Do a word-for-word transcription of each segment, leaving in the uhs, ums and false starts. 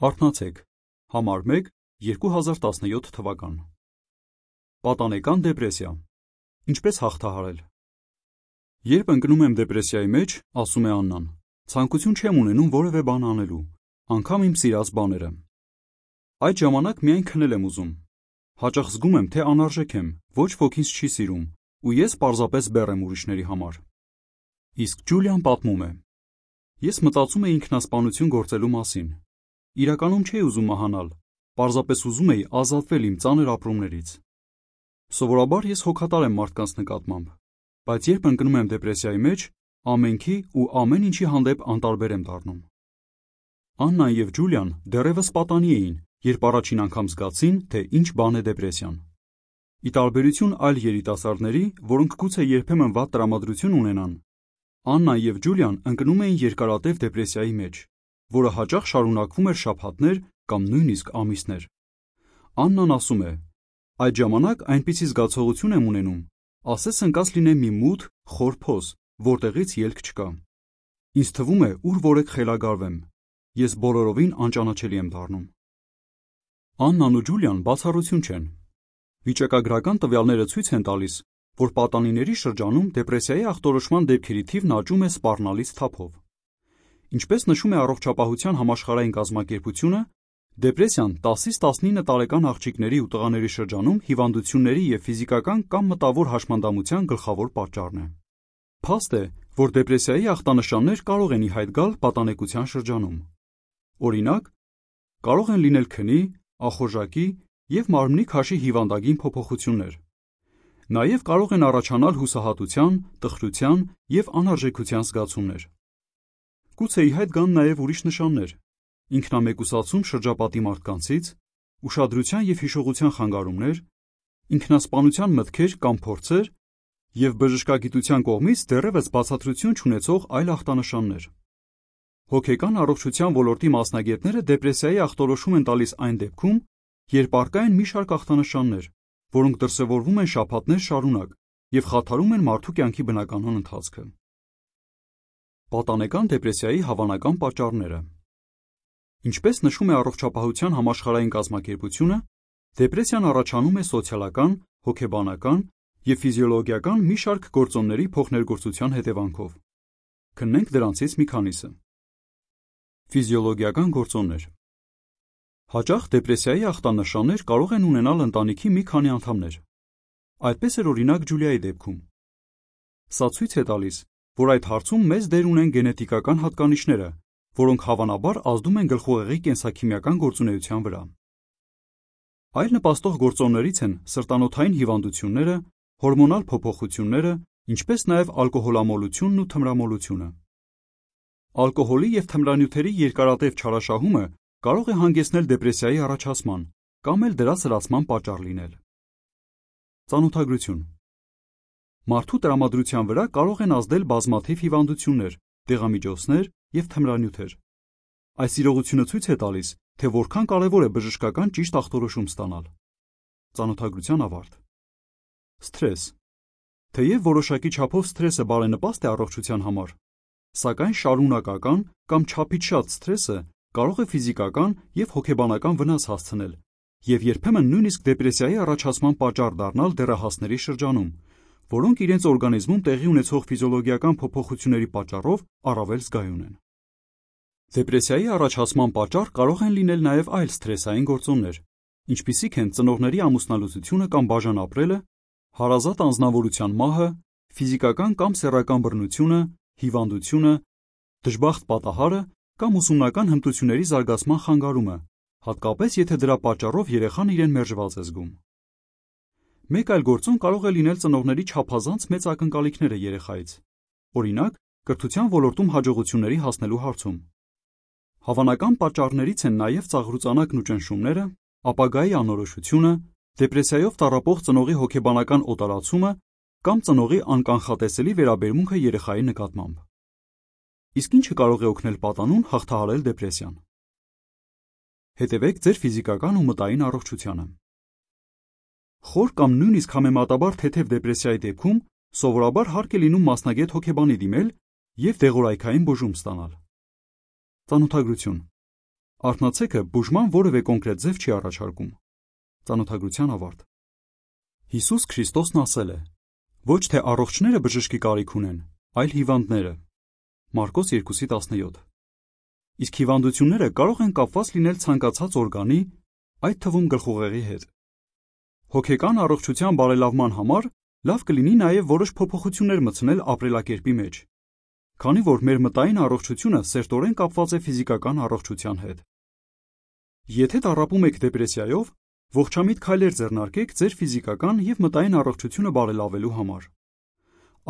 Արթնացեք, համար մեկ, երկու հազար տասնյոթ թվական։ Պատանեկան դեպրեսիա։ Ինչպես հաղթահարել։ Երբ ընկնում եմ դեպրեսիայի մեջ, ասում է Աննան, ցանկություն չեմ ունենում որևէ բան անելու, անգամ իմ սիրած բաները։ Այդ ժամանակ միայն քնել եմ ուզում։ Հաճախ զգում եմ, թե անարժեք եմ, ոչ ոք ինձ չի սիրում, ու ես պարզապես բեռ եմ ուրիշների համար։ Իսկ Ջուլիան պատմում է. Ես մտածում էի ինքնասպանություն գործելու մասին։ Իրականում չէի ուզում մահանալ, պարզապես ուզում էի ազատվել իմ ծանր ապրումներից։ Սովորաբար ես հոգատար եմ մարդկանց նկատմամբ, բայց երբ ընկնում եմ դեպրեսիայի մեջ, ամենքի ու ամեն ինչի հանդեպ անտարբեր եմ դառնում։ Աննան և Ջուլիան դեռևս պատանի էին, երբ առաջին անգամ զգացին, թե ինչ բան է դեպրեսիան։ Ի տարբերություն այլ երիտասարդների, որոնք գուցե երբեմն վատ տրամադրություն ունենան, Աննան և Ջուլիան ընկնում էին երկարատև դեպրեսիայի մեջ, որը հաճախ շարունակվում էր շաբաթներ կամ նույնիսկ ամիսներ։ Աննան ասում է. այդ ժամանակ այնպիսի զգացողություն եմ ունենում, ասես ընկած լինեմ մի մութ, խոր փոս, որտեղից ելք չկա։ Ինձ թվում է, ուր որեք խելագարվեմ։ Ես բոլորովին անճանաչելի եմ դառնում։ Աննան ու Ջուլիան բացառություն չեն։ Վիճակագրական տվյալները ցույց են տալիս, որ պատանիների շրջանում դեպրեսիայի ախտորոշման դեպքերի թիվն աճում է սպառնալից թափով։ Ինչպես նշում է Առողջապահության համաշխարհային կազմակերպությունը, դեպրեսիան տասից տասնինը տարեկան աղջիկների ու տղաների շրջանում հիվանդությունների և ֆիզիկական կամ մտավոր հաշմանդամության գլխավոր պատճառն է։ Փաստ է, որ դեպրեսիայի ախտանշաններ կարող են ի հայտ գալ պատանեկության շրջանում։ Օրինակ, կարող են լինել քնի, ախորժակի և մարմնի քաշի հիվանդագին փոփոխություններ։ Նաև կարող են առաջանալ հուսահատության, տխրության և անարժեքության զգացումներ։ Գուցե ի հայտ գան նաև ուրիշ նշաններ՝ ինքնամեկուսացում շրջապատի մարդկանցից, ուշադրության և հիշողության խանգարումներ, ինքնասպանության մտքեր կամ փորձեր և բժշկագիտության կողմից դեռևս բացատրություն չունեցող այլ ախտանշաններ։ Հոգեկան առողջության ոլորտի մասնագետները դեպրեսիայի ախտորոշում են տալիս այն դեպքում, երբ առկա են մի շարք ախտանշաններ, որոնք դրսևորվում են շաբաթներ շարունակ և խաթարում են մարդու կյանքի բնականոն ընթացքը։ Պատանեկան դեպրեսիայի հավանական պատճառները։ Ինչպես նշում է Առողջապահության համաշխարհային կազմակերպությունը, դեպրեսիան առաջանում է սոցիալական, հոգեբանական և ֆիզիոլոգիական մի շարք գործոնների փոխներգործության հետևանքով։ Քննենք դրանցից մի քանիսը։ Ֆիզիոլոգիական գործոններ։ Հաճախ դեպրեսիայի ախտանշաններ կարող են ունենալ ընտանիքի մի քանի անդամներ։ Այդպես էր օրինակ Ջուլիայի դեպքում։ Սա ցույց է տալիս, որ այդ հարցում մեծ դեր ունեն գենետիկական հատկանիշները, որոնք հավանաբար ազդում են գլխուղեղի կենսաքիմիական գործունեության վրա։ Այլ նպաստող գործոններից են սրտանոթային հիվանդությունները, հորմոնալ փոփոխությունները, ինչպես նաև ալկոհոլամոլությունն ու թմրամոլությունը։ Ալկոհոլի և թմրանյութերի երկարատև չարաշահումը կարող է հանգեցնել դեպրեսիայի առաջացման կամ էլ դրա սրացման պատճառ լինել։ Ծանոթագրություն։ Մարդու տրամադրության վրա կարող են ազդել բազմաթիվ հիվանդություններ, դեղամիջոցներ և թմրանյութեր։ Այս իրողությունը ցույց է տալիս, թե որքան կարևոր է բժշկական ճիշտ ախտորոշում ստանալ։ Ծանոթագրության ավարտ։ Սթրես։ Թեև որոշակի չափով սթրեսը բարենպաստ է առողջության համար, սակայն շարունակական կամ չափից շատ սթրեսը կարող է ֆիզիկական և հոգեբանական վնաս հասցնել և երբեմն նույնիսկ դեպրեսիայի առաջացման պատճառ դառնալ դեռահասների շրջանում, որոնք իրենց օրգանիզմում տեղի ունեցող ֆիզիոլոգիական փոփոխությունների պատճառով առավել զգայուն են։ Դեպրեսիայի առաջացման պատճառ կարող են լինել նաև այլ սթրեսային գործոններ, ինչպիսիք են ծնողների ամուսնալուծությունը կամ բաժան ապրելը, հարազատ անձնավորության մահը, ֆիզիկական կամ սեռական բռնությունը, հիվանդությունը, դժբախտ պատահարը կամ ուսումնական հմտությունների զարգացման խանգարումը, հատկապես եթե դրա պատճառով երեխան իրեն մերժված է զգում։ Մեկ այլ գործոն կարող է լինել ծնողների չափազանց մեծ ակնկալիքները երեխայից, օրինակ, կրթության ոլորտում հաջողությունների հասնելու հարցում։ Հավանական պատճառներից են նաև ծաղրուծանակն ու ճնշումները, ապագայի անորոշությունը, դեպրեսիայով տառապող ծնողի հոգեբանական օտարացումը կամ ծնողի անկանխատեսելի վերաբերմունքը երեխայի նկատմամբ։ Իսկ ի՞նչը կարող է օգնել պատանուն հաղթահարել դեպրեսիան։ Հետևեք ձեր ֆիզիկական ու մտային առողջությանը։ Խոր կամ նույնիսկ համեմատաբար թեթև դեպրեսիայի դեպքում սովորաբար հարկ է լինում մասնագետ հոգեբանի դիմել և դեղորայքային բուժում ստանալ։ Ծանոթագրություն։ Արթնացեքը բուժման որևէ կոնկրետ ձև չի առաջարկում։ Ծանոթագրության ավարտ։ Հիսուս Քրիստոսն ասել է. ոչ թե առողջները բժշկի կարիք ունեն, այլ հիվանդները։ Մարկոս երկու տասնյոթ։ Իսկ հիվանդությունները կարող են կապված լինել ցանկացած օրգանի, այդ թվում գլխուղեղի հետ։ Հոգեկան առողջության բարելավման համար լավ կլինի նաև որոշ փոփոխություններ մտցնել ապրելակերպի մեջ, քանի որ մեր մտային առողջությունը սերտորեն կապված է ֆիզիկական առողջության հետ։ Եթե տառապում եք դեպրեսիայով, ողջամիտ քայլեր ձեռնարկեք ձեր ֆիզիկական և մտային առողջությունը բարելավելու համար։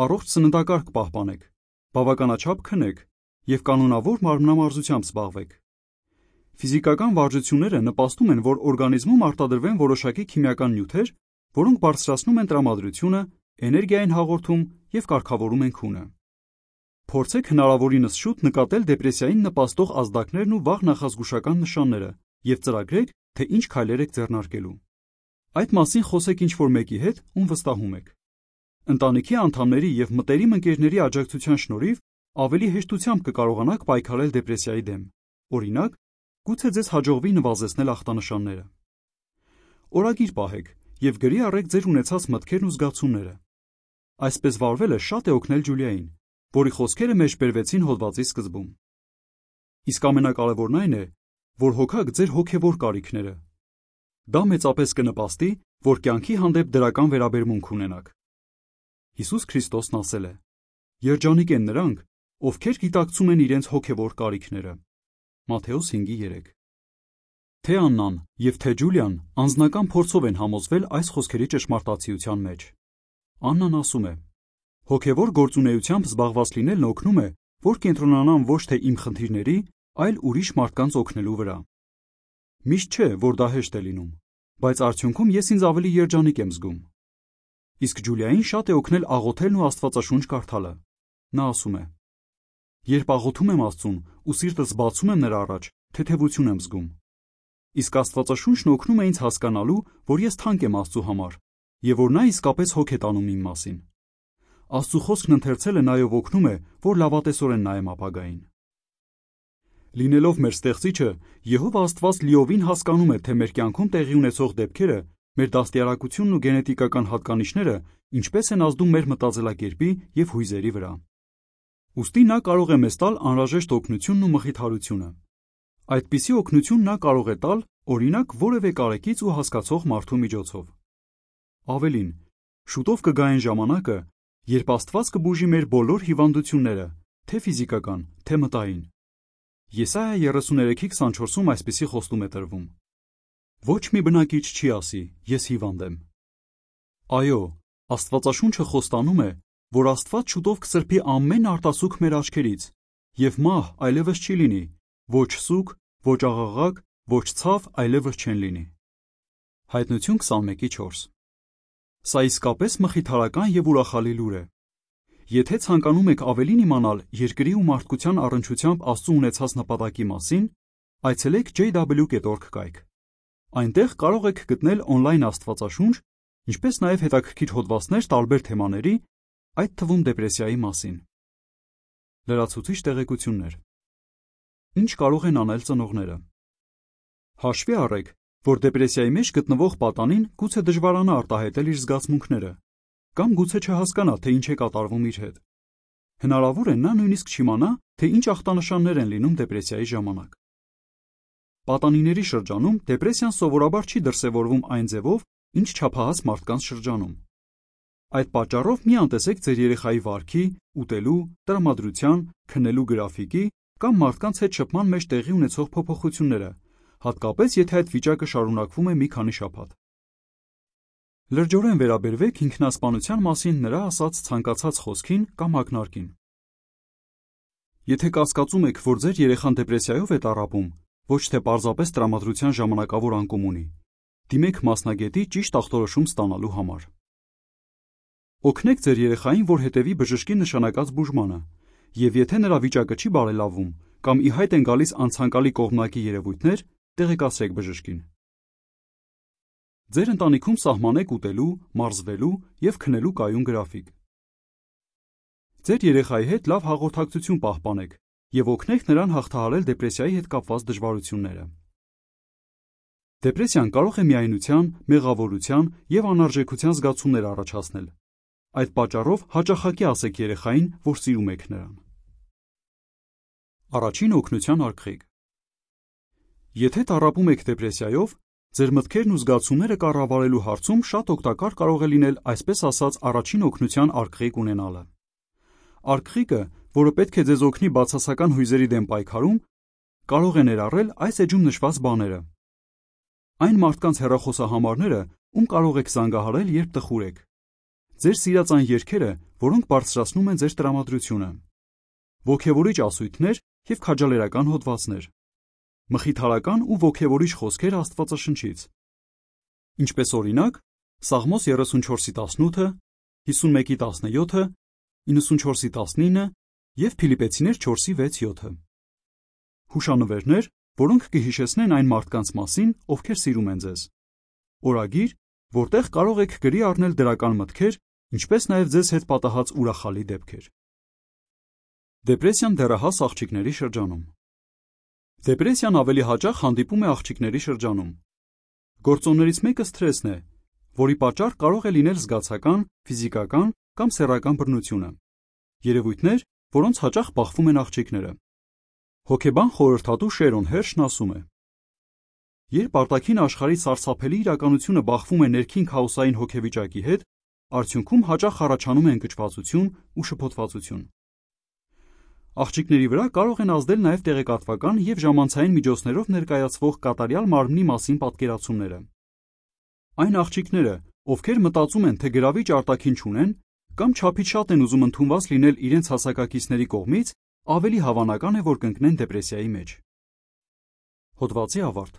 Առողջ սննդակարգ պահպանեք, բավականաչափ քնեք և կանոնավոր մարմնամարզությամբ զբաղվեք։ Ֆիզիկական վարժությունները նպաստում են, որ օրգանիզմում արտադրվեն որոշակի քիմիական նյութեր, որոնք բարձրացնում են տրամադրությունը, էներգիա են հաղորդում և կարգավորում են քունը։ Փորձեք հնարավորինս շուտ նկատել դեպրեսիային նպաստող ազդակներն ու վաղ նախազգուշական նշանները և ծրագրեք, թե ինչ քայլեր եք ձեռնարկելու։ Այդ մասին խոսեք ինչ-որ մեկի հետ, ում վստահում եք։ Ընտանիքի անդամների և մտերիմ ընկերների աջակցության շնորհիվ ավելի հեշտությամբ կկարողանաք պայքարել դեպրեսիայի դեմ։ Օրինակ, գուցե ձեզ հաջողվի նվազեցնել ախտանշանները։ Օրագիր պահեք և գրի առեք ձեր ունեցած մտքերն ու զգացումները։ Այսպես վարվելը շատ է օգնել Ջուլիային, որի խոսքերը մեջբերվեցին հոդվածի սկզբում։ Իսկ ամենակարևորն այն է, որ հոգաք ձեր հոգևոր կարիքները։ Դա մեծապես կնպաստի, որ կյանքի հանդեպ դրական վերաբերմունք ունենաք։ Հիսուս Քրիստոսն ասել է. «Երջանիկ են նրանք, ովքեր գիտակցում են իրենց հոգևոր կարիքները»։ Մատթեոս հինգ երեք։ Թե Աննան և թե Ջուլիան անձնական փորձով են համոզվել այս խոսքերի ճշմարտացիության մեջ։ Աննան ասում է. «Հոգևոր գործունեությամբ զբաղված լինելն օգնում է, որ կենտրոնանամ ոչ թե իմ խնդիրների, այլ ուրիշ մարդկանց օգնելու վրա։ Միշտ չէ, որ դա հեշտ է լինում, բայց արդյունքում ես ինձ ավելի երջանիկ եմ զգում»։ Իսկ Ջուլիային շատ է օգնել աղոթելն ու Աստվածաշունչ կարդալը։ Նա ասում է. «Երբ աղոթում եմ Աստծուն ու սիրտս բացում եմ նրա առաջ, թեթևություն եմ զգում։ Իսկ Աստվածաշունչն օգնում է ինձ հասկանալու, որ ես թանկ եմ Աստծու համար և որ նա իսկապես հոգ է տանում իմ մասին։ Աստծու խոսքն ընթերցելը նաև օգնում է, որ լավատեսորեն նայեմ ապագային»։ Լինելով մեր Ստեղծիչը, Եհովա Աստված լիովին հասկանում է, թե մեր կյանքում տեղի ունեցող դեպքերը, մեր դաստիարակությունն ու գենետիկական հատկանիշները ինչպես են ազդում մեր մտածելակերպի և հույզերի վրա։ Ուստի նա կարող է մեզ տալ անհրաժեշտ օգնությունն ու մխիթարությունը։ Այդպիսի օգնություն նա կարող է տալ, օրինակ, որևէ կարեկից ու հասկացող մարդու միջոցով։ Ավելին, շուտով կգա այն ժամանակը, երբ Աստված կբուժի մեր բոլոր հիվանդությունները, թե ֆիզիկական, թե մտային։ Եսայիա երեսուներեքի քսանչորսում այսպիսի խոստում է տրվում. «Ոչ մի բնակիչ չի ասի, ես հիվանդ եմ»։ Այո, Աստվածաշունչը խոստանում է, որ Աստված շուտով կսրբի ամեն արտասուք մեր աչքերից, և մահ այլևս չի լինի, ոչ սուգ, ոչ աղաղակ, ոչ ցավ այլևս չեն լինի։ Հայտնություն քսանմեկ չորս։ Սա իսկապես մխիթարական և ուրախալի լուր է։ Եթե ցանկանում եք ավելին իմանալ երկրի ու մարդկության առնչությամբ Աստծու ունեցած նպատակի մասին, այցելեք ջեյ դաբլյու դոտ օրգ կայք։ Այնտեղ կարող եք գտնել օնլայն աստվածաշունչ, ինչպես նաև հետաքրքիր հոդվածներ տարբեր թեմաների, այդ թվում դեպրեսիայի մասին։ Լրացուցիչ տեղեկություններ։ Ինչ կարող են անել ծնողները։ Հաշվի առեք, որ դեպրեսիայի մեջ գտնվող պատանին գուցե դժվարանա արտահայտել իր զգացմունքները, կամ գուցե չհասկանա, թե ինչ է կատարվում իր հետ։ Հնարավոր է նա նույնիսկ չիմանա, թե ինչ ախտանշաններ են լինում դեպրեսիայի ժամանակ։ Պատանիների շրջանում դեպրեսիան սովորաբար չի դրսևորվում այն ձևով, ինչ չափահաս մարդկանց շրջանում։ Այդ պատճառով մի անտեսեք ձեր երեխայի վարքի, ուտելու, տրամադրության, քնելու գրաֆիկի կամ մարդկանց հետ շփման մեջ տեղի ունեցող փոփոխությունները, հատկապես եթե այդ վիճակը շարունակվում է մի քանի շաբաթ։ Լրջորեն վերաբերվեք ինքնասպանության մասին նրա ասած ցանկացած խոսքին կամ ակնարկին։ Եթե կասկածում եք, որ ձեր երեխան դեպրեսիայով է տառապում, ոչ թե պարզապես տրամադրության ժամանակավոր անկում ունի, դիմեք մասնագետի ճիշտ ախտորոշում ստանալու համար։ Օգնեք ձեր երեխային, որ հետևի բժշկի նշանակած բուժմանը, և եթե նրա վիճակը չի բարելավում կամ ի հայտ են գալիս անցանկալի կողմնակի երևույթներ, տեղեկացրեք բժշկին։ Ձեր ընտանիքում սահմանեք ուտելու, մարզվելու և քնելու կայուն գրաֆիկ։ Ձեր երեխայի հետ լավ հաղորդակցություն պահպանեք և օգնեք նրան հաղթահարել դեպրեսիայի հետ կապված դժվարությունները։ Դեպրեսիան կարող է միայնության, մեղավորության և անարժեքության զգացումներ առաջացնել։ Այդ պատճառով հաճախակի ասեք երեխային, որ սիրում եք նրան։ Առաջին օգնության արգղիկ։ Եթե տառապում եք դեպրեսիայով, ձեր մտքերն ու զգացումները կառավարելու հարցում շատ օգտակար կարող է լինել այսպես ասած առաջին օգնության արգղիկ ունենալը։ Արգղիկը, որը պետք է ձեզ օգնի բացասական հույզերի դեմ պայքարում, կարող է ներառել այս էջում նշված բաները. այն մարդկանց հեռախոսահամարները, ում կարող եք զանգահարել, երբ տխուր եք, ձեր սիրած այն երգերը, որոնք բարձրացնում են ձեր տրամադրությունը, ոգևորիչ ասույթներ և քաջալերական հոդվածներ, մխիթարական ու ոգևորիչ խոսքեր Աստվածաշնչից, ինչպես օրինակ Սաղմոս երեսունչորսի տասնութը, հիսունմեկի տասնյոթը, իննսունչորսի տասնինը և Փիլիպպեցիներ չորսի վեց յոթը։ Հուշանվերներ, որոնք կհիշեցնեն այն մարդկանց մասին, ովքեր սիրում են ձեզ։ Օրագիր, որտեղ կարող եք գրի առնել դրական մտքեր, ինչպես նաև ձեզ հետ պատահած ուրախալի դեպքեր։ Դեպրեսիան դեռահաս աղջիկների շրջանում։ Դեպրեսիան ավելի հաճախ հանդիպում է աղջիկների շրջանում։ Գործոններից մեկը սթրեսն է, որի պատճառ կարող է լինել զգացական, ֆիզիկական կամ սեռական բռնությունը։ Երևույթներ, որոնց հաճախ բախվում են աղջիկները։ Հոգեբան խորհրդատու Շերոն Հերշն ասում է. երբ արտաքին աշխարհի սարսափելի իրականությունը բախվում է ներքին քաոսային հոգեվիճակի հետ, արդյունքում հաճախ առաջանում է ընկճվածություն ու շփոթվածություն։ Աղջիկների վրա կարող են ազդել նաև տեղեկատվական և ժամանցային միջոցներով ներկայացվող կատարյալ մարմնի մասին պատկերացումները։ Այն աղջիկները, ովքեր մտածում են, թե գրավիչ արտաքին չունեն, կամ չափից շատ են ուզում ընդունված լինել իրենց հասակակիցների կողմից, ավելի հավանական է, որ կընկնեն դեպրեսիայի մեջ։ Հոդվացի ավարտ։